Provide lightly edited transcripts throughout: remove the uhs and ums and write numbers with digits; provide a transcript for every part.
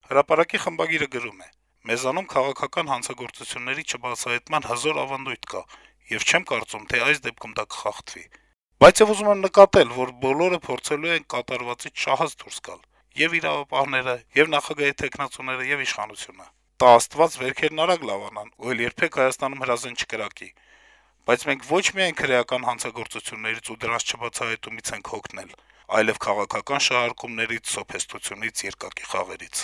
Հրապարակի խմբագիրը գրում է. - «Մեզանում քաղաքական հանցագործությունների չբացահայտման հզոր ավանդույթ կա, եւ չեմ կարծում, թե այս դեպքում դա կխախտվի: Բայց եւ ուզում եմ նկատել, որ բոլորը փորձելու են կատարվածից շահած դուրս գալ. եւ իրավապահները, եւ նախագահի թեկնածուները, եւ իշխանությունը: Տա Աստված վերքերն արագ լավանան, ու էլ երբեք Հայաստանում հրազեն չկրակի: Բայց մենք ոչ միայն քրեական հանցագործություններից ու դրանց չբացահայտումից ենք հոգնել, այլեւ քաղաքական շահարկումներից, սոփեստությունից, երկակի խաղերից»: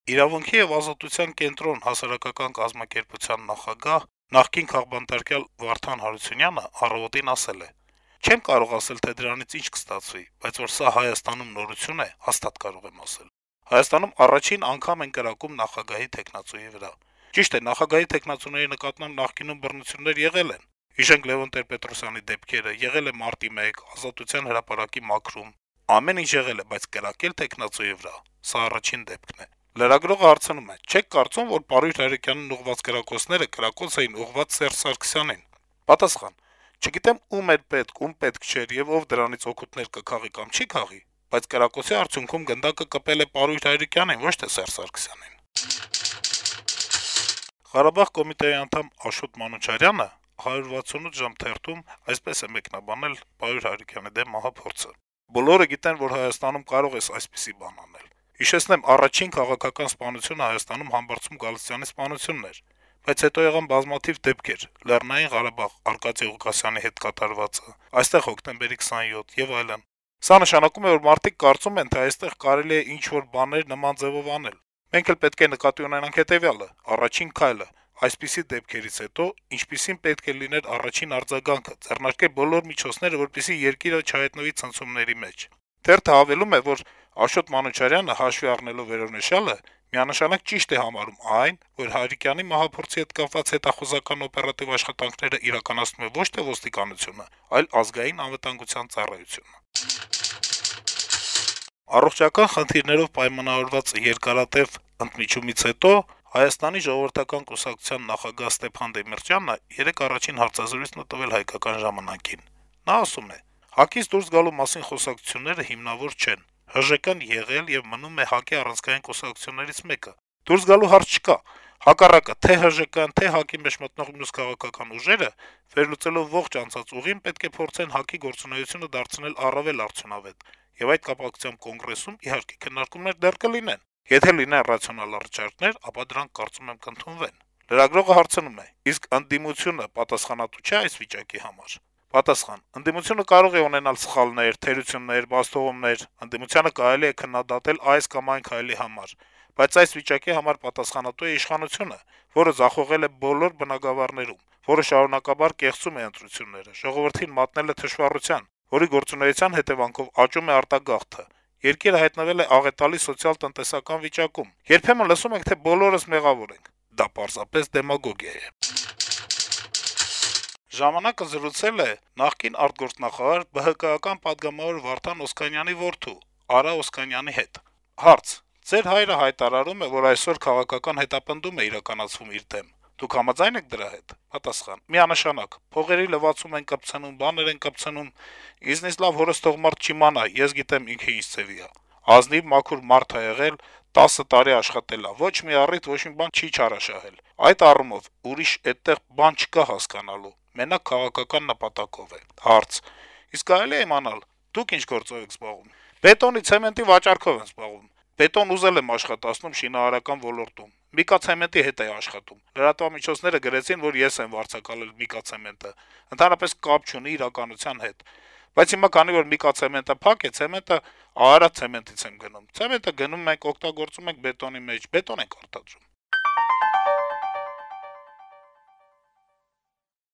«Իրավունքի եւ ազատության կենտրոն» հասարակական կազմակերպության նախագահ, նախկին քաղբանտարկյալ Վարդան Հարությունյանը «Առավոտ»-ին ասել է. - «Չեմ կարող ասել, թե դրանից ինչ կստացվի, բայց որ սա Հայաստանում նորություն է, հաստատ կարող եմ ասել: Հայաստանում առաջին անգամ են կրակում նախագահի թեկնածուի վրա: Ճիշտ է, նախագահի թեկնածուների նկատմամբ նախկինում բռնություններ եղել են: Հիշենք Լեւոն Տեր-Պետրոսյանի դեպքերը, եղել է Մարտի 1, Ազատության հրապարակի մաքրում: Ամեն ինչ եղել է, բայց կրակել թեկնածուի վրա` սա առաջին դեպքն է»: Լրագրողը հարցնում է. - «Չե՞ք կարծում, որ Պարույր Հայրիկյանին ուղղված կրակոցները կրակոց էին ուղղված Սերժ Սարգսյանին»: Պատասխան. - «Չգիտեմ ում էր պետք, ում պետք չէր եւ ով դրանից օգուտներ կքաղի կամ չի քաղի, բայց կրակոցի արդյունքում գնդակը կպել է Պարույր Հայրիկյանին, ոչ թե Սերժ Սարգսյանին»: Ղարաբաղ կոմիտեի անդամ Աշոտ Մանուչարյանը 168 ժամ թերթում այսպես է մեկնաբանել Պարույր Հայրիկյանի դեմ մահափորձը. - «Բոլորը գիտեն, որ Հայաստանում կարող ես այսպիսի բան անել: Հիշեցնեմ, առաջին քաղաքական սպանությունը Հայաստանում Համբարձում Գալստյանի սպանությունն էր: Բայց հետո եղան բազմաթիվ դեպքեր` Լեռնային Ղարաբաղ, Արկադի Ղուկասյանի հետ կատարվածը, այստեղ հոկտեմբերի 27 եւ այլն: Սա նշանակում է, որ մարդիկ կարծում են, թե այստեղ կարելի է ինչ-որ բաներ նման ձեւով անել: Մենք էլ պետք է նկատի ունենանք հետեւյալը. առաջին քայլը այսպիսի դեպքերից հետո ինչպիսին պետք է լիներ առաջին արձագանքը` ձեռնարկել բոլոր միջոցները, որպեսզի երկիրը չհայտնվի ցնցումների մեջ»: Թերթը հավելում է, որ Աշոտ Մանուչարյանը, հաշվի առնելով վերոնշյալը, միանշանակ ճիշտ է համարում այն, որ Հայրիկյանի մահափորձի հետ կապված հետախուզական օպերատիվ աշխատանքները իրականացնում է ոչ թե ոստիկանությունը, այլ Ազգային անվտանգության ծառայությունը: Առողջական խնդիրներով պայմանավորված երկարատեւ ընդմիջումից հետո Հայաստանի ժողովրդական կուսակցության նախագահ Ստեփան Դեմիրճյանը երեկ առաջին հարցազրույցն է տվել «Հայկական ժամանակ»-ին: Նա ասում է. - «ՀԱԿ-ից դուրս գալու մասին խոսակցությունները հիմնավոր չեն: ՀԺԿ-ն եղել եւ մնում է ՀԱԿ-ի առանցքային կուսակցություններից մեկը: Դուրս գալու հարց չկա: Հակառակը, թե ՀԺԿ-ն, թե ՀԱԿ-ի մեջ մտնող մյուս քաղաքական ուժերը, վերլուծելով ողջ անցած ուղին, պետք է փորձեն ՀԱԿ-ի գործունեությունը դարձնել առավել արդյունավետ: Եվ այդ կապակցությամբ Կոնգրեսում, իհարկե, քննարկումներ դեռ կլինեն: Եթե լինեն ռացիոնալ առաջարկներ, ապա դրանք, կարծում եմ, կընդունվեն»: Լրագրողը հարցնում է. - «Իսկ ընդդիմությունը պատասխանատու չէ՞ այս վիճակի համար»: Պատասխան. - «Ընդդիմությունը կարող է ունենալ սխալներ, թերություններ, բացթողումներ: Ընդդիմությանը կարելի է քննադատել այս կամ այն քայլի համար: Բայց այս վիճակի համար պատասխանատու է իշխանությունը, որը ձախողել է բոլոր բնագավառներում, որը շարունակաբար կեղծում է ընտրությունները, ժողովրդին մատնել է թշվառության, որի գործունեության հետեւանքով աճում է արտագաղթը: Երկիրը հայտնվել է աղետալի սոցիալ-տնտեսական վիճակում: Երբեմն լսում ենք, թե բոլորս մեղավոր ենք: Դա պարզապես դեմագոգիա է»: «Ժամանակ»-ը զրուցել է նախկին արտգործնախարար, ԲՀԿ-ական պատգամավոր Վարդան Օսկանյանի որդու` Արա Օսկանյանի հետ: Հարց. - «Ձեր հայրը հայտարարում է, որ այսօր քաղաքական հետապնդում է իրականացվում իր դեմ: Դուք համաձա՞յն եք դրա հետ»: Պատասխան. - «Միանշանակ: Փողերի լվացում են կպցնում, բաներ են կպցնում: Ինձնից լավ հորս թող մարդ չիմանա, ես գիտեմ ինքը ինչ ձեւի ա: Ազնիվ, մաքուր մարդ ա եղել, 10 տարի աշխատել ա, ոչ մի առիթ, ոչ մի բան չի չարաշահել: Այդ առումով ուրիշ էդտեղ բան չկա հասկանալու: Մենակ քաղաքական նպատակով է»: Հարց. - «Իսկ կարելի է իմանալ` դուք ինչ գործով եք զբաղվում»: «Բետոնի, ցեմենտի վաճառքով եմ զբաղվում: Բետոն ուզել եմ աշխատացնում շինարարական ոլորտում: Միկացեմենտի հետ էի աշխատում: Լրատվամիջոցները գրեցին, որ ես եմ վարձակալել Միկացեմենտը: Ընդհանրապես կապ չունի իրականության հետ: Բայց հիմա, քանի որ Միկացեմենտը փակ է, ցեմենտը Արարատ ցեմենտից եմ գնում: Ցեմենտը գնում ենք, օգտագործում ենք բետոնի մեջ, բետոն ենք արտադրում»: